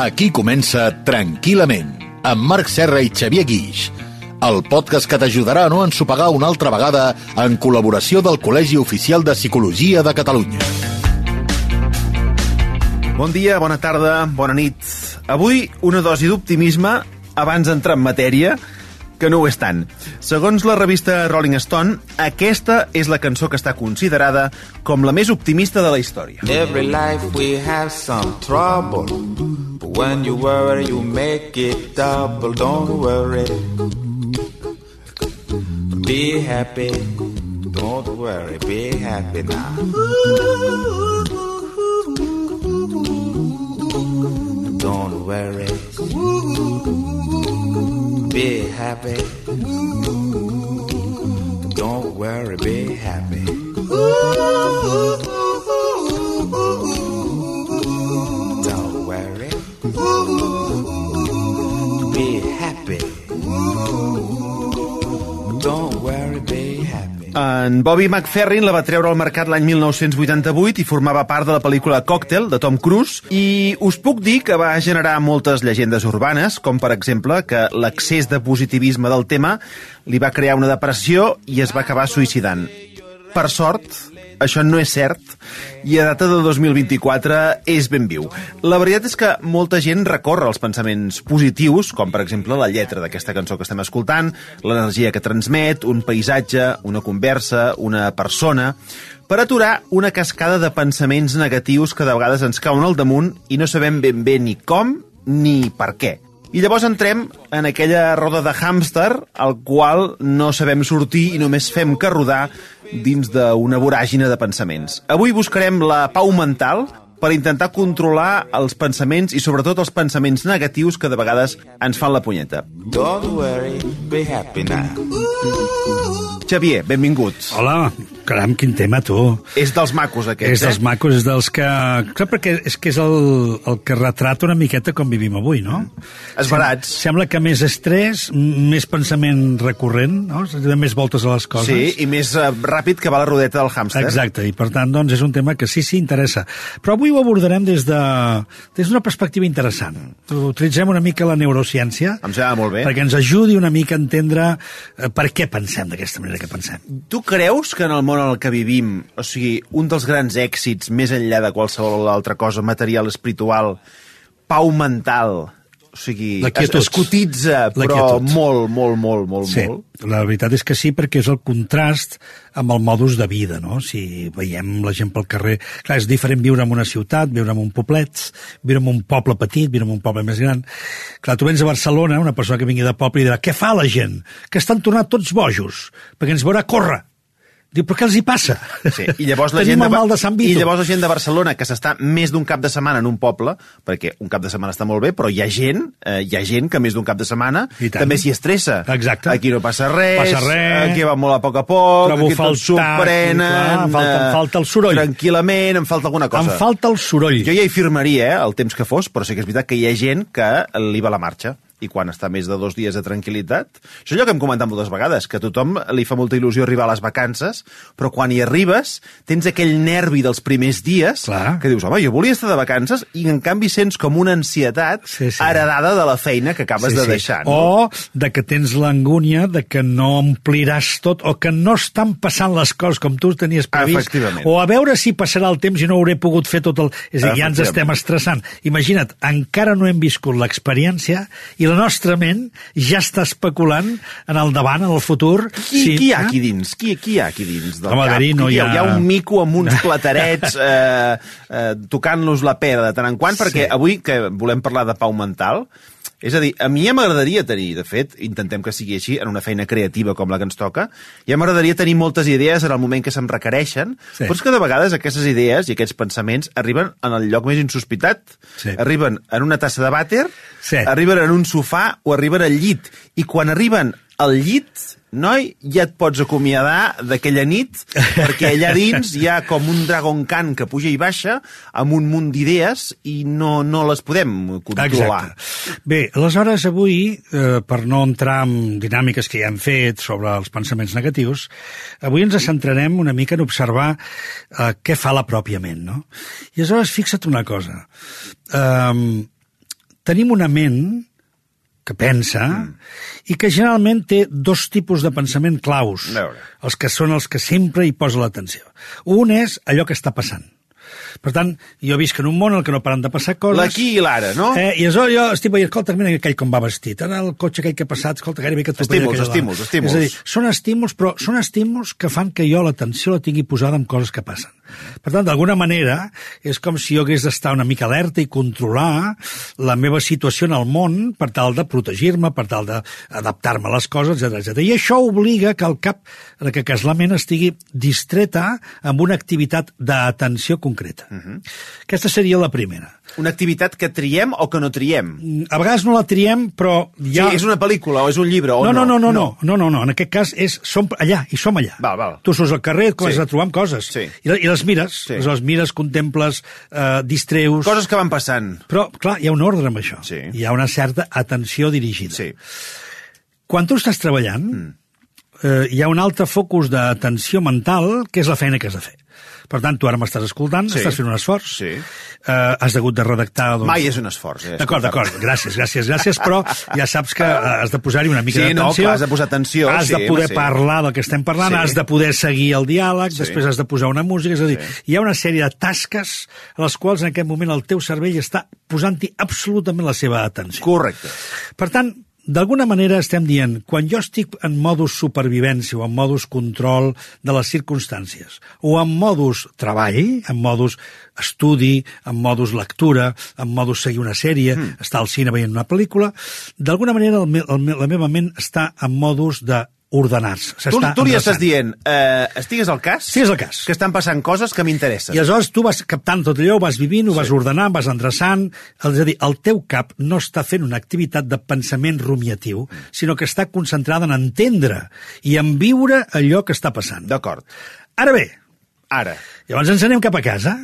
Aquí comença Tranquil·lament, amb Marc Serra i Xavier Guix, el podcast que t'ajudarà a no ensopegar una altra vegada en col·laboració del Col·legi Oficial de Psicologia de Catalunya. Bon dia, bona tarda, bona nit. Avui una dosi d'optimisme abans d'entrar en matèria, que no ho és tant. Segons la revista Rolling Stone, aquesta és la cançó que està considerada com la més optimista de la història. Every life we have some trouble, but when you worry you make it double. Don't worry, be happy. Don't worry, be happy now. Don't worry, be happy. Don't worry, be happy. Don't worry, be happy. Don't worry, be happy. En Bobby McFerrin la va treure al mercat l'any 1988 i formava part de la pel·lícula Cocktail, de Tom Cruise, i us puc dir que va generar moltes llegendes urbanes, com per exemple que l'excés de positivisme del tema li va crear una depressió i es va acabar suïcidant. Per sort, això no és cert, i a data de 2024 és ben viu. La veritat és que molta gent recorre als pensaments positius, com per exemple la lletra d'aquesta cançó que estem escoltant, l'energia que transmet, un paisatge, una conversa, una persona, per aturar una cascada de pensaments negatius que de vegades ens cauen al damunt i no sabem ben bé ni com ni per què. I llavors entrem en aquella roda de hàmster al qual no sabem sortir i només fem que rodar dins d'una voràgine de pensaments. Avui buscarem la pau mental per intentar controlar els pensaments i sobretot els pensaments negatius que de vegades ens fan la punyeta. Don't worry, be happy now. Xavier, benvingut. Hola, caram, quin tema, tu. És dels macos, aquests, És dels macos, és dels que... Clar, perquè és que és el que retrata una miqueta com vivim avui, no? Esbarats. Sembla que més estrès, més pensament recurrent, no? Més voltes a les coses. Sí, i més ràpid que va la rodeta del hàmster. Exacte, i per tant, doncs, és un tema que sí, interessa. Però avui ho abordarem des d'una perspectiva interessant. Utilitzem una mica la neurociència. Em sembla molt bé. Perquè ens ajudi una mica a entendre per què pensem d'aquesta manera que pensem. Tu creus que en el món en el que vivim, o sigui, un dels grans èxits, més enllà de qualsevol altra cosa material, espiritual, pau mental, o sigui, es cotitza, però molt. Sí, la veritat és que sí, perquè és el contrast amb el modus de vida, no? Si veiem la gent pel carrer... Clar, és diferent viure en una ciutat, viure en un poblet, viure en un poble petit, viure en un poble més gran. Clar, tu vens a Barcelona, una persona que vingui de poble i dirà, què fa la gent? Que estan tornant tots bojos, perquè ens veurà córrer. Diu, però què els hi passa? Sí, i llavors la Tenim gent el mal de Sant Vito. I llavors la gent de Barcelona, que s'està més d'un cap de setmana en un poble, perquè un cap de setmana està molt bé, però hi ha gent que més d'un cap de setmana també s'hi estressa. Exacte. Aquí no passa res, aquí va molt a poc, trobo aquí tot s'ho prenen... Em falta el soroll. Tranquil·lament, em falta alguna cosa. Em falta el soroll. Jo ja hi firmaria, el temps que fos, però sí que és veritat que hi ha gent que li va la marxa. I quan està més de 2 dies de tranquil·litat... Això és allò que hem comentat moltes vegades, que a tothom li fa molta il·lusió arribar a les vacances, però quan hi arribes tens aquell nervi dels primers dies. Clar. Que dius, home, jo volia estar de vacances, i en canvi sents com una ansietat heredada de la feina que acabes de deixar. No? O de que tens l'angúnia de que no ompliràs tot, o que no estan passant les coses com tu tenies previst, o a veure si passarà el temps i no hauré pogut fer tot el... És a dir, ja ens estem estressant. Imagina't, encara no hem viscut l'experiència i la nostra ment ja està especulant en el davant, en el futur. Qui hi ha aquí dins? Qui hi ha aquí dins del cap? Hi ha un mico amb uns platerets tocant-los la pera de tant en quant, perquè avui que volem parlar de pau mental, és a dir, a mi ja m'agradaria tenir, de fet, intentem que sigui així, en una feina creativa com la que ens toca, ja m'agradaria tenir moltes idees en el moment que se'm requereixen, però és que de vegades aquestes idees i aquests pensaments arriben en el lloc més insospitat. Arriben en una tassa de vàter, arriben en un sofà o arriben al llit. I quan arriben al llit, noi, ja et pots acomiadar d'aquella nit, perquè allà dins hi ha com un Dragon Khan que puja i baixa amb un munt d'idees i no les podem controlar. Exacte. Bé, aleshores avui, per no entrar en dinàmiques que ja hem fet sobre els pensaments negatius, avui ens centrarem una mica en observar què fa la pròpia ment, no? I aleshores fixa't una cosa. Tenim una ment que pensa i que generalment té dos tipus de pensament claus, els que són els que sempre hi posa l'atenció. Un és allò que està passant. Per tant, jo visc en un món en què no paren de passar coses. L'aquí i l'ara, no? I aleshores jo estic veient, escolta, mira aquell com va vestit, ara el cotxe aquell que ha passat, escolta, gairebé que estímuls. És a dir, són estímuls, però són estímuls que fan que jo l'atenció la tingui posada en coses que passen. Per tant, d'alguna manera, és com si jo hagués d'estar una mica alerta i controlar la meva situació en el món per tal de protegir-me, per tal d'adaptar-me a les coses, etc. I això obliga que el cap, en aquest cas la ment, estigui distreta amb una activitat d'atenció concreta. Aquesta seria la primera. Una activitat que triem o que no triem? A vegades no la triem, però ja... Sí, és una pel·lícula o és un llibre o no? No. En aquest cas som allà, i som allà. Val. Tu surts al carrer, comences a trobar amb coses. Sí. I les mires. Sí. Les mires, contemples, distreus... Coses que van passant. Però, clar, hi ha un ordre amb això. Sí. Hi ha una certa atenció dirigida. Sí. Quan tu estàs treballant, hi ha un altre focus d'atenció mental, que és la feina que has de fer. Per tant, tu ara m'estàs escoltant, estàs fent un esforç, has hagut de redactar... Mai és un esforç, D'acord, gràcies, però ja saps que has de posar-hi una mica d'atenció. Sí, no, has de posar atenció. Has de poder parlar del que estem parlant, has de poder seguir el diàleg, després has de posar una música, és a dir, hi ha una sèrie de tasques a les quals en aquest moment el teu cervell està posant-hi absolutament la seva atenció. Correcte. Per tant, d'alguna manera estem dient, quan jo estic en modus supervivència o en modus control de les circumstàncies, o en modus treball, en modus estudi, en modus lectura, en modus seguir una sèrie, estar al cine veient una pel·lícula, d'alguna manera la meva ment està en modus de ordenar-se. Tu li estàs dient, estigues al cas? Estigues al cas. Que estan passant coses que m'interessen. I aleshores tu vas captant tot allò, ho vas vivint, ho vas ordenant, vas endreçant. És a dir, el teu cap no està fent una activitat de pensament rumiatiu, sinó que està concentrada en entendre i en viure allò que està passant. D'acord. Ara bé, llavors ens anem cap a casa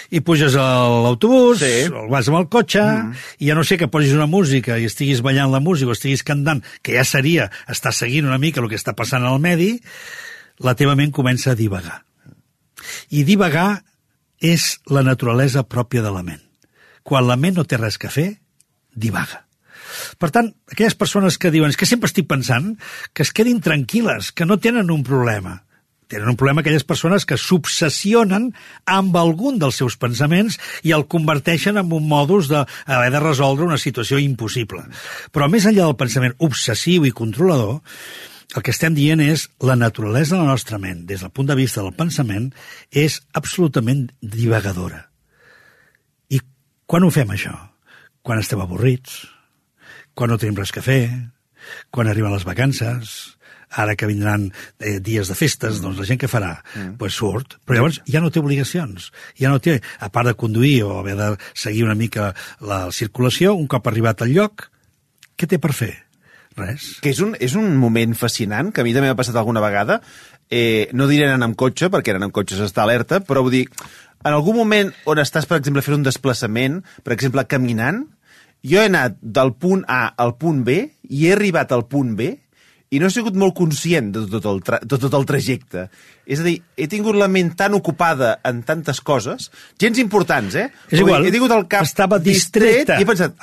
i puges a l'autobús, o vas amb el cotxe, i ja no sé que posis una música i estiguis ballant la música o estiguis cantant, que ja seria estar seguint una mica el que està passant al medi, la teva ment comença a divagar. I divagar és la naturalesa pròpia de la ment. Quan la ment no té res que fer, divaga. Per tant, aquelles persones que diuen que sempre estic pensant, que es quedin tranquil·les, que no tenen un problema. Tenen un problema aquelles persones que s'obsessionen amb algun dels seus pensaments i el converteixen en un modus d'haver de resoldre una situació impossible. Però més enllà del pensament obsessiu i controlador, el que estem dient és la naturalesa de la nostra ment, des del punt de vista del pensament, és absolutament divagadora. I quan ho fem, això? Quan estem avorrits, quan no tenim res que fer, quan arriben les vacances... Ara que vindran dies de festes, doncs la gent què farà? Pues surt, però llavors ja no té obligacions, ja no té, a part de conduir o haver de seguir una mica la circulació, un cop arribat al lloc, què té per fer? Res. Que és un moment fascinant, que a mi també m'ha passat alguna vegada, no diré anar amb cotxe, perquè anar amb cotxe s'està alerta, però vull dir, en algun moment on estàs, per exemple, fent un desplaçament, per exemple, caminant, jo he anat del punt A al punt B i he arribat al punt B i no he sigut molt conscient de tot el trajecte. És a dir, he tingut la ment tan ocupada en tantes coses, gens importants, És igual, he tingut el cap estava distreta. I he pensat,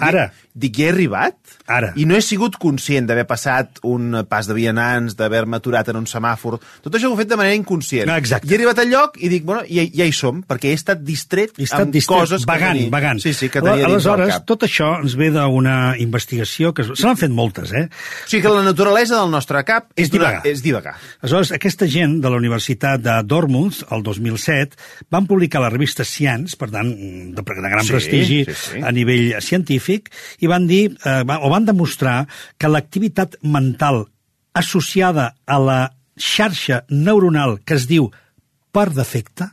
dic, he arribat? Ara. I no he sigut conscient d'haver passat un pas de vianants, d'haver-me aturat en un semàfor. Tot això ho he fet de manera inconscient. Exacte. I he arribat al lloc i dic, bueno, ja hi som, perquè he estat distret amb coses vagant. Sí, que tenia dins del cap. Aleshores, tot això ens ve d'una investigació que se n'han fet moltes, O sigui que la naturalesa del nostre cap és divagar. Aleshores, aquesta gent de la Universitat de Dartmouth, el 2007, van publicar a la revista Science, per tant, de gran prestigi a nivell científic, i van dir, van demostrar que l'activitat mental associada a la xarxa neuronal que es diu per defecte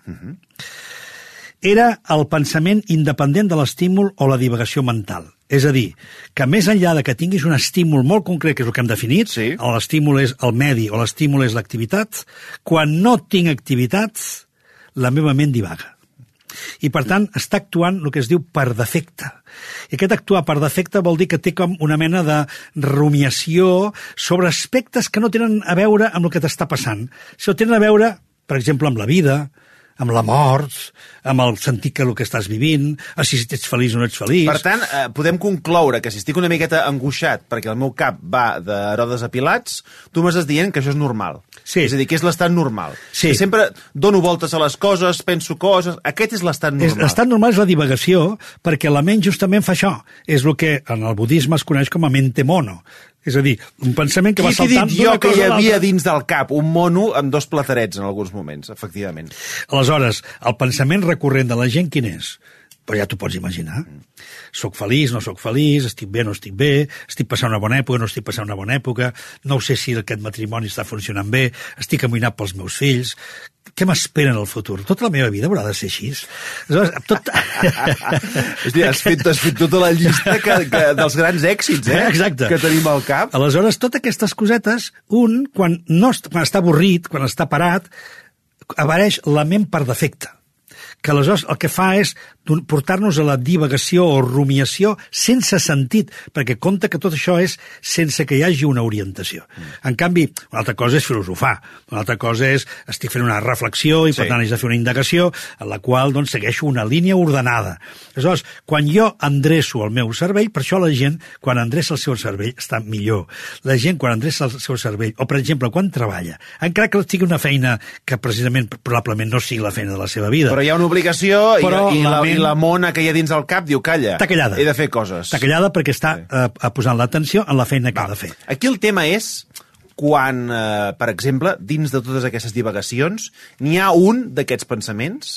era el pensament independent de l'estímul o la divagació mental. És a dir, que més enllà de que tinguis un estímul molt concret, que és el que hem definit, Sí. l'estímul és el medi o l'estímul és l'activitat, quan no tinc activitat, la meva ment divaga. I, per tant, està actuant el que es diu per defecte. I aquest actuar per defecte vol dir que té com una mena de rumiació sobre aspectes que no tenen a veure amb el que t'està passant. Sinó tenen a veure, per exemple, amb la vida, amb la mort, amb el sentit que el que estàs vivint, si ets feliç o no ets feliç. Per tant, podem concloure que si estic una miqueta angoixat perquè el meu cap va d'Herodes a Pilats, tu m'estàs dient que això és normal. Sí. És a dir, que és l'estat normal. Sí. Que sempre dono voltes a les coses, penso coses... Aquest és l'estat normal. L'estat normal és la divagació, perquè la ment justament fa això. És el que en el budisme es coneix com a mente mono. És a dir, un pensament que va saltant Qui t'he dit jo que hi havia l'altra. dins del cap un mono amb 2 platerets en alguns moments, efectivament? Aleshores, el pensament recurrent de la gent quin és? Però ja t'ho pots imaginar. Soc feliç, no soc feliç, estic bé, no estic bé, estic passant una bona època, no estic passant una bona època, no sé si aquest matrimoni està funcionant bé, estic amoïnat pels meus fills, què m'espera en el futur? Tota la meva vida haurà de ser així. Aleshores, tot... Hòstia, has fet tota la llista dels grans èxits, Exacte. Que tenim al cap. Aleshores, totes aquestes cosetes, quan està avorrit, quan està parat, apareix la ment per defecte, que aleshores el que fa és portar-nos a la divagació o rumiació sense sentit, perquè compta que tot això és sense que hi hagi una orientació. En canvi, una altra cosa és filosofar, una altra cosa és estic fent una reflexió i per tant haig de fer una indagació en la qual doncs, segueixo una línia ordenada. Aleshores, quan jo endreço el meu cervell, per això la gent, quan endreça el seu cervell, està millor. La gent, quan endreça el seu cervell, o per exemple, quan treballa, encara que sigui una feina que precisament, probablement no sigui la feina de la seva vida. Però hi ha una obligació i la mona que hi ha dins el cap diu, calla, està callada. He de fer coses. Està callada perquè està posant l'atenció en la feina que ha de fer. Aquí el tema és quan, per exemple, dins de totes aquestes divagacions, n'hi ha un d'aquests pensaments,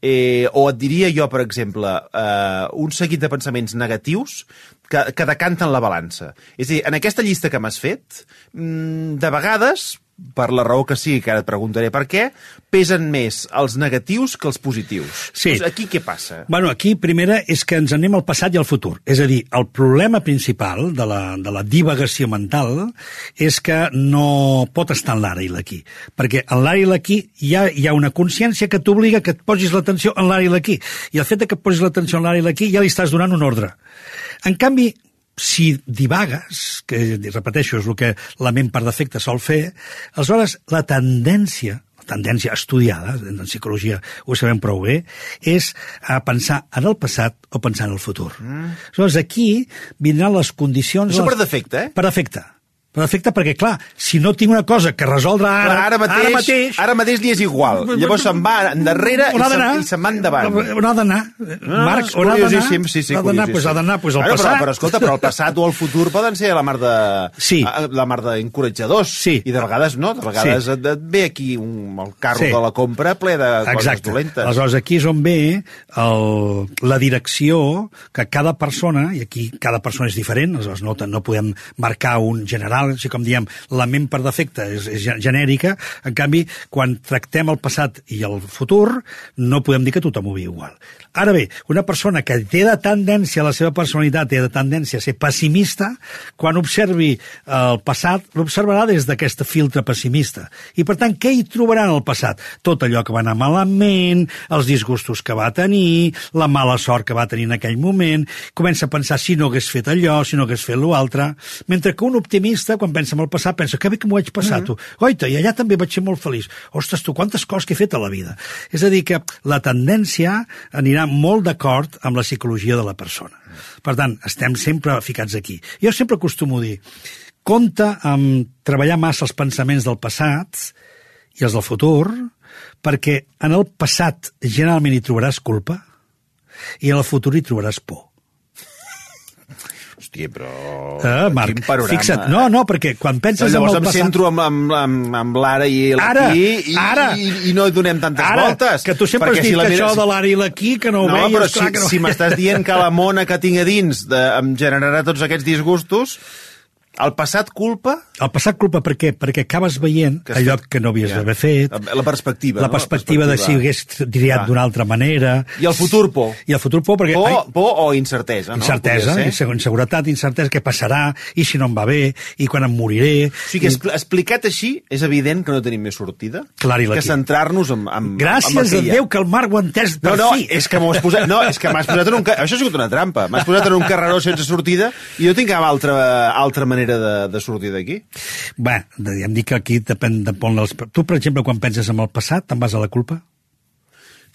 o et diria jo, per exemple, un seguit de pensaments negatius que decanten la balança. És a dir, en aquesta llista que m'has fet, de vegades, per la raó que sí, que ara et preguntaré per què, pesen més els negatius que els positius. Sí. Doncs aquí què passa? Bueno, aquí, primera, és que ens anem al passat i al futur. És a dir, el problema principal de la divagació mental és que no pot estar en l'ara i l'aquí. Perquè en l'ara i l'aquí hi ha una consciència que t'obliga que et posis l'atenció en l'ara i l'aquí. I el fet que et posis l'atenció en l'ara i l'aquí ja li estàs donant un ordre. En canvi, si divagues, que repeteixo és el que la ment per defecte sol fer, aleshores la tendència estudiada, en psicologia ho sabem prou bé, és a pensar en el passat o pensar en el futur. Aleshores aquí vindran les condicions... Això per defecte, Per defecte. Per defecte perquè, clar, si no tinc una cosa que resoldre ara mateix li és igual. Llavors se'n va endarrere i se'n va endavant. On ha d'anar? Marc, on ha d'anar? Sí, ha d'anar al passat. Però escolta, però el passat o el futur poden ser la mar d'encoratjadors. Sí. I de vegades no, de vegades et ve aquí el carro de la compra ple de coses dolentes. Aleshores, aquí és on ve la direcció que cada persona, i aquí cada persona és diferent, aleshores no podem marcar un general, així com diem, la ment per defecte és genèrica, en canvi, quan tractem el passat i el futur, no podem dir que tothom ho viu igual. Ara bé, una persona que té de tendència, la seva personalitat té de tendència a ser pessimista, quan observi el passat, l'observarà des d'aquest filtre pessimista. I, per tant, què hi trobarà en el passat? Tot allò que va anar malament, els disgustos que va tenir, la mala sort que va tenir en aquell moment, comença a pensar si no hagués fet allò, si no hagués fet l'altre, mentre que un optimista, quan pensa en el passat, pensa que bé que m'ho vaig passar, tu. Oita, i allà també vaig ser molt feliç. Ostres, tu, quantes coses que he fet a la vida. És a dir, que la tendència anirà molt d'acord amb la psicologia de la persona. Per tant, estem sempre ficats aquí. Jo sempre acostumo a dir, compte amb treballar massa els pensaments del passat i els del futur, perquè en el passat generalment hi trobaràs culpa i en el futur hi trobaràs por. Hòstia, però... Marc, quin panorama. Fixa't, no, perquè quan penses en el passat... Llavors em centro amb l'ara i l'aquí i no hi donem tantes voltes. Que tu sempre has dit que això de l'ara i l'aquí, que no ho veies... No, però si m'estàs dient que la mona que tinc a dins em generarà tots aquests disgustos... El passat culpa... El passat culpa per què? Perquè acabes veient allò que no havies d'haver fet. La perspectiva, La perspectiva de si hagués triat d'una altra manera. I el futur por. I el futur por perquè... Por o incertesa, no? Incertesa, inseguretat, incertesa, què passarà, i si no em va bé, i quan em moriré... O sigui, explicat així, és evident que no tenim més sortida. Clar, i que centrar-nos en gràcies a Déu que el Marc ho ha entès per fi. És que m'has posat en un... Això ha sigut una trampa. M'has posat en un carreró sense sortida i jo tinc cap altra manera de sortir d'aquí. Bé, em dic que aquí depèn de on Tu, per exemple, quan penses en el passat, te'n vas a la culpa?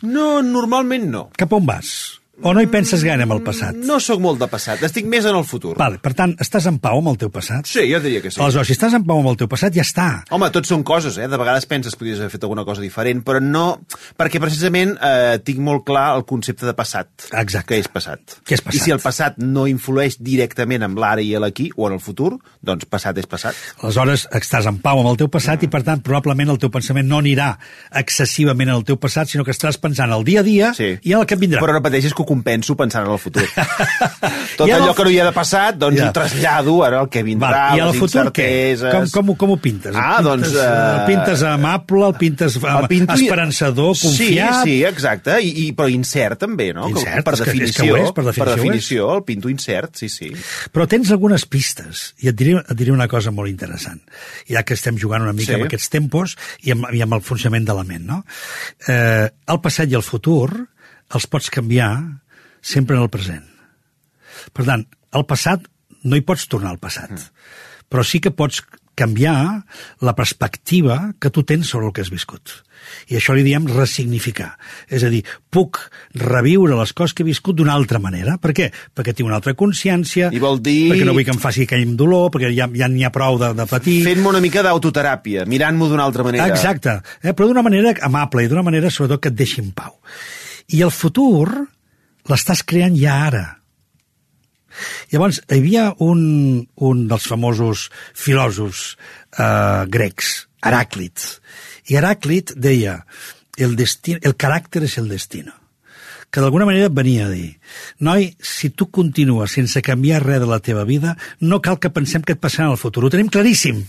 No, normalment no. Cap on vas? O no hi penses gaire en el passat? No sóc molt de passat, estic més en el futur. Vale, per tant, estàs en pau amb el teu passat? Sí, jo diria que sí. Aleshores, si estàs en pau amb el teu passat, ja està. Home, tot són coses, De vegades penses que podries haver fet alguna cosa diferent, però no... Perquè precisament tinc molt clar el concepte de passat. Exacte. Que és passat. Què és passat? I si el passat no influeix directament en l'ara i l'aquí, o en el futur, doncs passat és passat. Aleshores, estàs en pau amb el teu passat i, per tant, probablement el teu pensament no anirà excessivament en el teu passat, sinó que estaràs pensant el dia a dia i en el que vindrà. Però repeteixes que ho compenso pensant en el futur. Tot allò que no hi ha de passat, doncs ho trasllado ara el que vindrà, i les incerteses... Com ho pintes? El pintes amable, el pintes esperançador, confiat... Sí, exacte, però incert també, no? Incert, per definició, per definició, el pinto incert, sí. Però tens algunes pistes, i et diré una cosa molt interessant, ja que estem jugant una mica amb aquests tempos i amb el funcionament de la ment, no? El passat i el futur els pots canviar sempre en el present. Per tant, el passat, no hi pots tornar al passat, però sí que pots canviar la perspectiva que tu tens sobre el que has viscut. I això li diem ressignificar. És a dir, puc reviure les coses que he viscut d'una altra manera. Per què? Perquè tinc una altra consciència, I vol dir... perquè no vull que em faci aquell dolor, perquè ja n'hi ha prou de patir. Fent-me una mica d'autoteràpia, mirant-m'ho d'una altra manera. Exacte, però d'una manera amable i d'una manera, sobretot, que et deixi en pau. I el futur l'estàs creant ja ara. Llavors, hi havia un dels famosos filòsofs grecs, Heràclit, i Heràclit deia el caràcter és el destino, que d'alguna manera venia a dir, noi, si tu continues sense canviar res de la teva vida, no cal que pensem que et passarà en el futur. Ho tenim claríssim.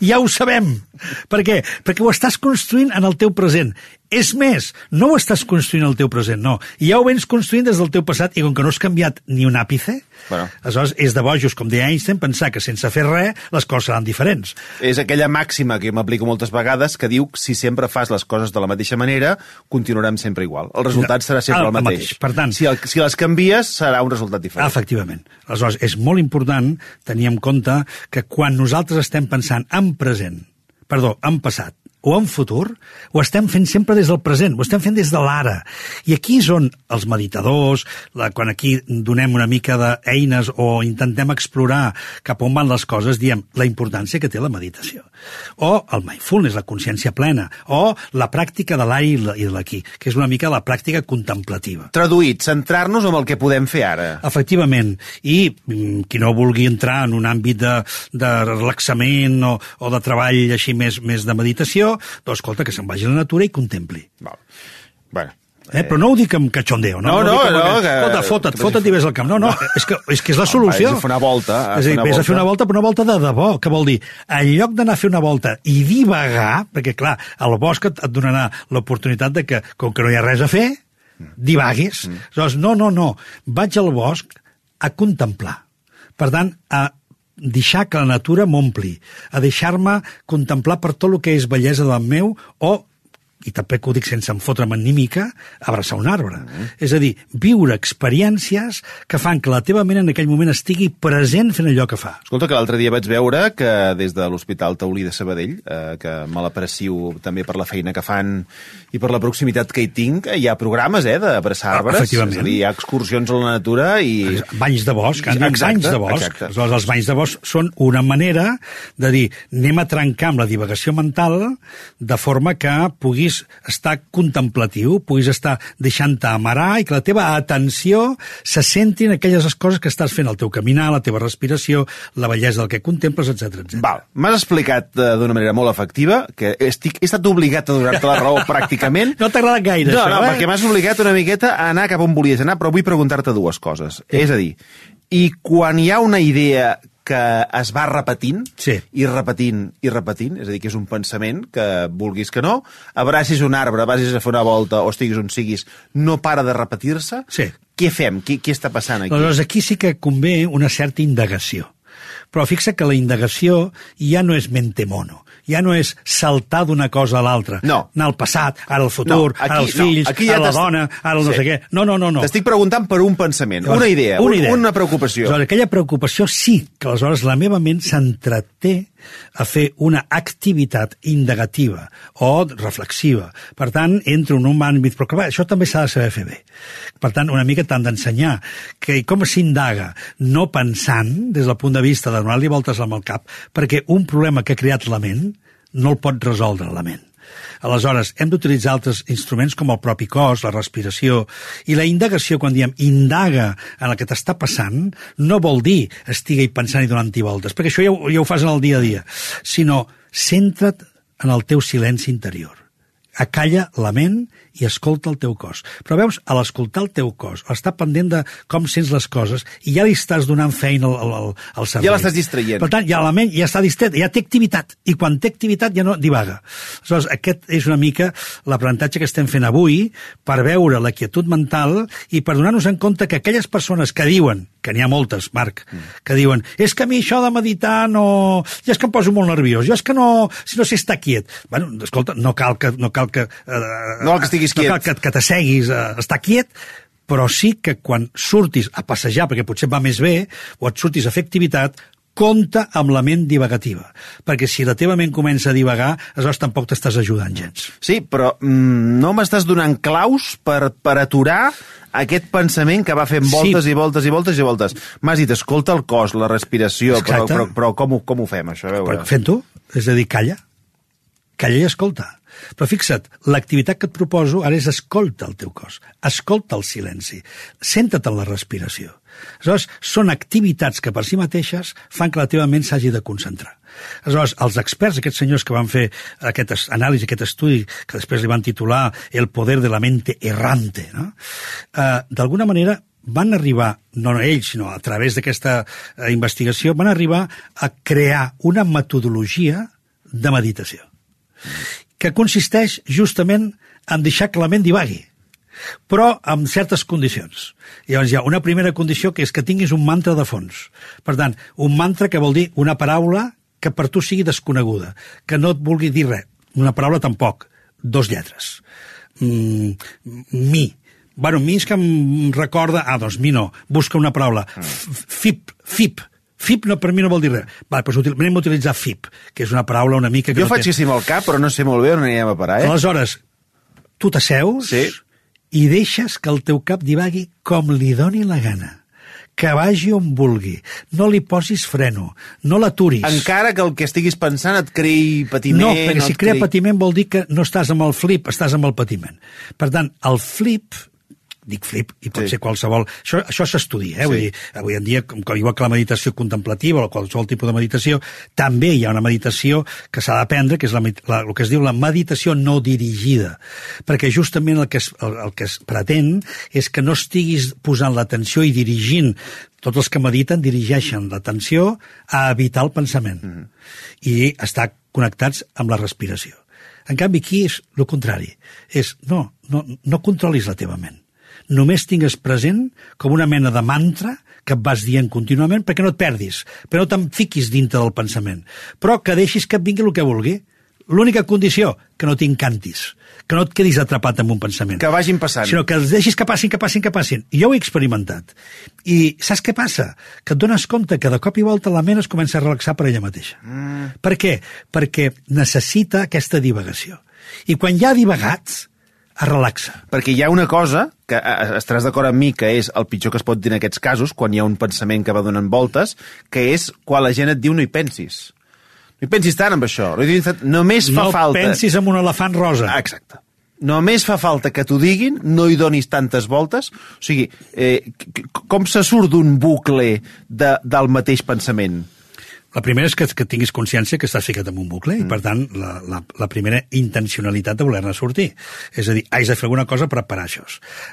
Ja ho sabem. Per què? Perquè ho estàs construint en el teu present. És més, no ho estàs construint al teu present, no. Ja ho vens construint des del teu passat i com que no has canviat ni un àpice, aleshores és de bojos, com deia Einstein, pensar que sense fer res les coses seran diferents. És aquella màxima que m'aplico moltes vegades que diu que si sempre fas les coses de la mateixa manera, continuarem sempre igual. El resultat serà sempre el mateix. Per tant, si les canvies, serà un resultat diferent. Efectivament. Aleshores, és molt important tenir en compte que quan nosaltres estem pensant en passat o en futur, ho estem fent sempre des del present, ho estem fent des de l'ara. I aquí és on els meditadors, quan aquí donem una mica d'eines o intentem explorar cap on van les coses, diem la importància que té la meditació. O el mindfulness, la consciència plena, o la pràctica de l'ara i de l'aquí, que és una mica la pràctica contemplativa. Traduït, centrar-nos en el que podem fer ara. Efectivament. I qui no vulgui entrar en un àmbit de relaxament o de treball així més de meditació, doncs escolta, que se'n vagi a la natura i contempli. Bueno. Però no ho dic amb cachondeo. Escolta, fota't i ves al camp. No, és que és la solució. Vés a fer una volta. És a dir, vés a fer una volta, però una volta de debò. Que vol dir? En lloc d'anar a fer una volta i divagar, perquè clar, al bosc et donarà l'oportunitat de que, com que no hi ha res a fer, divaguis. Aleshores, no. Vaig al bosc a contemplar. Per tant, a deixar que la natura m'ompli, a deixar-me contemplar per tot el que és bellesa del meu i també que ho dic sense enfotre'm ni mica, abraçar un arbre. És a dir, viure experiències que fan que la teva ment en aquell moment estigui present fent allò que fa. Escolta, que l'altre dia vaig veure que des de l'Hospital Taulí de Sabadell, que me l'aprecio també per la feina que fan i per la proximitat que hi tinc, hi ha programes d'abraçar arbres. És a dir, hi ha excursions a la natura i... Banys de bosc, banys de bosc. Aleshores, els banys de bosc són una manera de dir, anem a trencar amb la divagació mental de forma que puguis estar contemplatiu, puguis estar deixant-te amarar i que la teva atenció se centri en aquelles coses que estàs fent, el teu caminar, la teva respiració, la bellesa del que contemples, etc. Val, m'has explicat d'una manera molt efectiva, que he estat obligat a donar-te la raó pràcticament. No t'ha agradat gaire, això, No, perquè m'has obligat una miqueta a anar cap on volies anar, però vull preguntar-te dues coses. És a dir, i quan hi ha una idea que es va repetint, Sí. i repetint, és a dir, que és un pensament que, vulguis que no, abracis un arbre, vagis a fer una volta o estiguis on siguis, no para de repetir-se. Sí. Què fem? Què està passant aquí? Aleshores, aquí sí que convé una certa indagació. Però fixa que la indagació ja no és mente mono, ja no és saltar d'una cosa a l'altra. No. Anar al passat, ara al futur, No, aquí- ara els fills, no, aquí ja ara la t'has- dona, ara el no Sí. sé què. No. T'estic preguntant per un pensament, Llavors, una idea, una preocupació. Aleshores, aquella preocupació sí que aleshores la meva ment s'entreté a fer una activitat indagativa o reflexiva. Per tant, entro en un àmbit, però clar, això també s'ha de saber fer bé. Per tant, una mica t'han d'ensenyar que com s'indaga no pensant des del punt de vista de donar-li voltes amb el cap, perquè un problema que ha creat la ment no el pot resoldre la ment. Aleshores, hem d'utilitzar altres instruments com el propi cos, la respiració, i la indagació, quan diem indaga en el que t'està passant, no vol dir estigui pensant i donant-hi voltes, perquè això ja ho fas en el dia a dia, sinó centra't en el teu silenci interior. Acalla la ment i escolta el teu cos. Però veus, a l'escoltar el teu cos, estar pendent de com sents les coses, i ja li estàs donant feina al cervell. Ja l'estàs distraient. Per tant, ja la ment ja està distret, ja té activitat, i quan té activitat ja no divaga. Aleshores, aquest és una mica l'aprenentatge que estem fent avui per veure la quietud mental i per donar-nos en compte que aquelles persones que diuen, que n'hi ha moltes, Marc, que diuen, és que a mi això de meditar no... Ja és que em poso molt nerviós, jo és que no... Si no sé estar quiet. Bueno, escolta, no cal que No cal que estiguis quiet. No cal que t'asseguis a estar quiet, però sí que quan surtis a passejar, perquè potser va més bé, o et surtis a fer activitat, compta amb la ment divagativa, perquè si la teva ment comença a divagar, aleshores tampoc t'estàs ajudant gens. Sí, però no m'estàs donant claus per aturar aquest pensament que va fent voltes Sí. i voltes i voltes i voltes. M'has dit, escolta el cos, la respiració, Exacte. però com ho fem, això? A veure. Però fent-ho, és a dir, calla i escolta. Però fixa't, l'activitat que et proposo ara és escolta el teu cos, escolta el silenci, centra't en la respiració. Aleshores, són activitats que per si mateixes fan que la teva ment s'hagi de concentrar. Aleshores, els experts, aquests senyors que van fer aquest anàlisi, aquest estudi, que després li van titular El poder de la mente errante, no? D'alguna manera van arribar, no ells, sinó a través d'aquesta investigació, van arribar a crear una metodologia de meditació que consisteix justament en deixar que la ment divagui, però amb certes condicions. Llavors hi ha una primera condició que és que tinguis un mantra de fons. Per tant, un mantra que vol dir una paraula que per tu sigui desconeguda, que no et vulgui dir res. Una paraula tampoc, 2 lletres. Mi. Bueno, mi és que em recorda... doncs mi no. Busca una paraula. Fip. FIP no, per mi no vol dir res. Vale, doncs anem a utilitzar FIP, que és una paraula una mica... Jo faig que sí amb el cap, però no sé molt bé on anirem a parar, Aleshores, tu t'asseus i deixes que el teu cap divagui com li doni la gana. Que vagi on vulgui. No li posis freno. No l'aturis. Encara que el que estiguis pensant et creï patiment... No, perquè si crea patiment vol dir que no estàs amb el flip, estàs amb el patiment. Per tant, el flip... dic flip, i pot ser qualsevol... Això s'estudia, Vull dir, avui en dia, igual que la meditació contemplativa o qualsevol tipus de meditació, també hi ha una meditació que s'ha d'aprendre, que és el que es diu la meditació no dirigida, perquè justament el que es pretén és que no estiguis posant l'atenció i dirigint. Tots els que mediten dirigeixen l'atenció a evitar el pensament i estar connectats amb la respiració. En canvi, aquí és el contrari. És, no controlis la teva ment. Només tingues present com una mena de mantra que et vas dient contínuament perquè no et perdis, però no te'n fiquis dintre del pensament, però que deixis que et vingui el que vulgui. L'única condició, que no t'encantis, que no et quedis atrapat en un pensament. Que vagin passant. Sinó que els deixis que passin. I jo ho he experimentat. I saps què passa? Que et dones compte que de cop i volta la ment es comença a relaxar per ella mateixa. Per què? Perquè necessita aquesta divagació. I quan ja ha divagat, es relaxa. Perquè hi ha una cosa, que estaràs d'acord amb mi, que és el pitjor que es pot dir en aquests casos, quan hi ha un pensament que va donant voltes, que és quan la gent et diu no hi pensis. No hi pensis tant amb això. Només fa falta... No pensis en un elefant rosa. Exacte. Només fa falta que t'ho diguin, no hi donis tantes voltes. O sigui, com se surt d'un bucle del mateix pensament? La primera és que tinguis consciència que estàs ficat en un bucle i, per tant, la primera intencionalitat de voler-ne sortir. És a dir, haig de fer alguna cosa per parar això.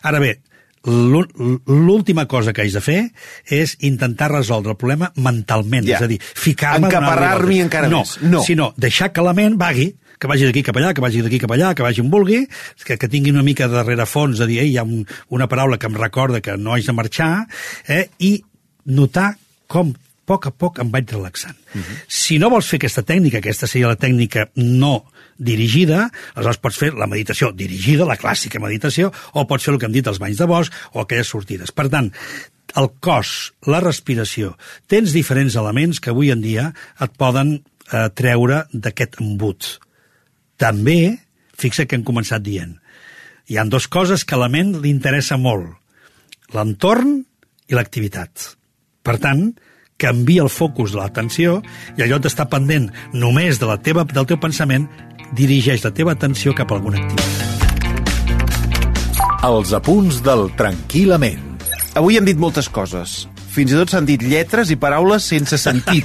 Ara bé, l'última cosa que haig de fer és intentar resoldre el problema mentalment, és a dir, ficar-me... Encaparrar-m'hi encara més. No, sinó deixar que la ment vagui, que vagi d'aquí cap allà, que vagi d'aquí cap allà, que vagi on vulgui, que tingui una mica de rerefons de dir, hi ha una paraula que em recorda que no haig de marxar, i notar com a poc em vaig relaxant. Si no vols fer aquesta tècnica, aquesta seria la tècnica no dirigida, aleshores pots fer la meditació dirigida, la clàssica meditació, o pots fer el que hem dit, els banys de bosc, o aquelles sortides. Per tant, el cos, la respiració, tens diferents elements que avui en dia et poden treure d'aquest embut. També, fixa que hem començat dient, hi ha dues coses que a la ment li interessa molt, l'entorn i l'activitat. Per tant, canvia el focus de l'atenció i allò d'estar pendent només del teu pensament, dirigeix la teva atenció cap a alguna activitat. Els apunts del Tranquil·lament. Avui hem dit moltes coses. Fins i tot s'han dit lletres i paraules sense sentit.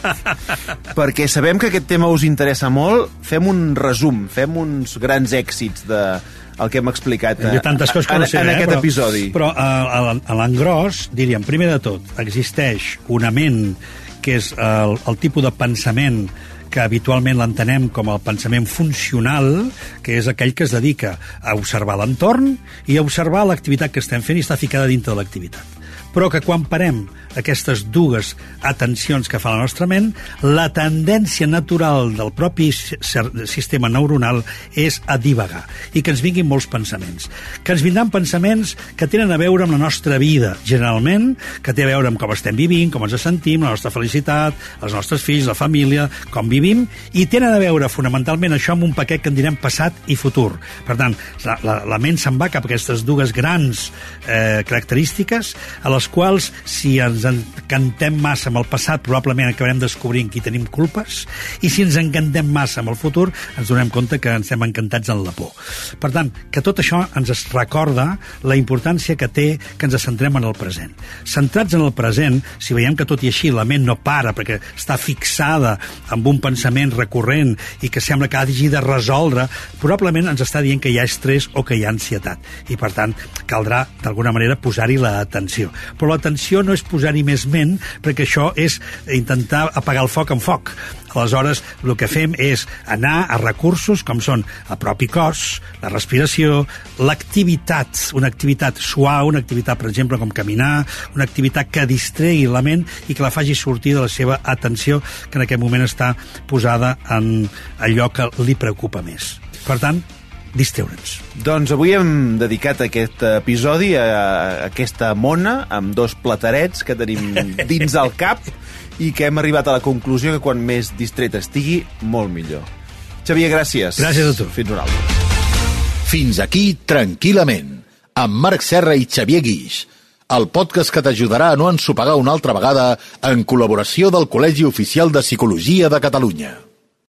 Perquè sabem que aquest tema us interessa molt. Fem un resum, fem uns grans èxits el que hem explicat en aquest episodi. Però a l'engròs, diríem, primer de tot, existeix una ment que és el tipus de pensament que habitualment l'entenem com el pensament funcional, que és aquell que es dedica a observar l'entorn i a observar l'activitat que estem fent i està ficada dintre de l'activitat. Però que quan parem aquestes dues atencions que fa la nostra ment, la tendència natural del propi sistema neuronal és a divagar i que ens vinguin molts pensaments. Que ens vindran pensaments que tenen a veure amb la nostra vida, generalment, que té a veure amb com estem vivint, com ens sentim, la nostra felicitat, els nostres fills, la família, com vivim, i tenen a veure fonamentalment això amb un paquet que en direm passat i futur. Per tant, la ment se'n va cap a aquestes dues grans característiques a les quals, si ens encantem massa amb el passat, probablement acabarem descobrint qui tenim culpes, i si ens encantem massa amb el futur, ens donem compte que ens estem encantats en la por. Per tant, que tot això ens recorda la importància que té que ens centrem en el present. Centrats en el present, si veiem que tot i així la ment no para perquè està fixada amb un pensament recurrent i que sembla que hagi de resoldre, probablement ens està dient que hi ha estrès o que hi ha ansietat. I, per tant, caldrà, d'alguna manera, posar-hi l'atenció. Però l'atenció no és posar-hi més ment, perquè això és intentar apagar el foc amb foc. Aleshores, el que fem és anar a recursos com són el propi cos, la respiració, l'activitat, una activitat suau, una activitat, per exemple, com caminar, una activitat que distregui la ment i que la faci sortir de la seva atenció, que en aquest moment està posada en allò que li preocupa més. Per tant, distreure'ns. Doncs avui hem dedicat aquest episodi a aquesta mona amb dos platerets que tenim dins el cap i que hem arribat a la conclusió que quan més distret estigui, molt millor. Xavier, gràcies. Gràcies a tu. Fins una altra. Fins aquí Tranquil·lament, amb Marc Serra i Xavier Guix, el podcast que t'ajudarà a no ensopegar una altra vegada en col·laboració del Col·legi Oficial de Psicologia de Catalunya.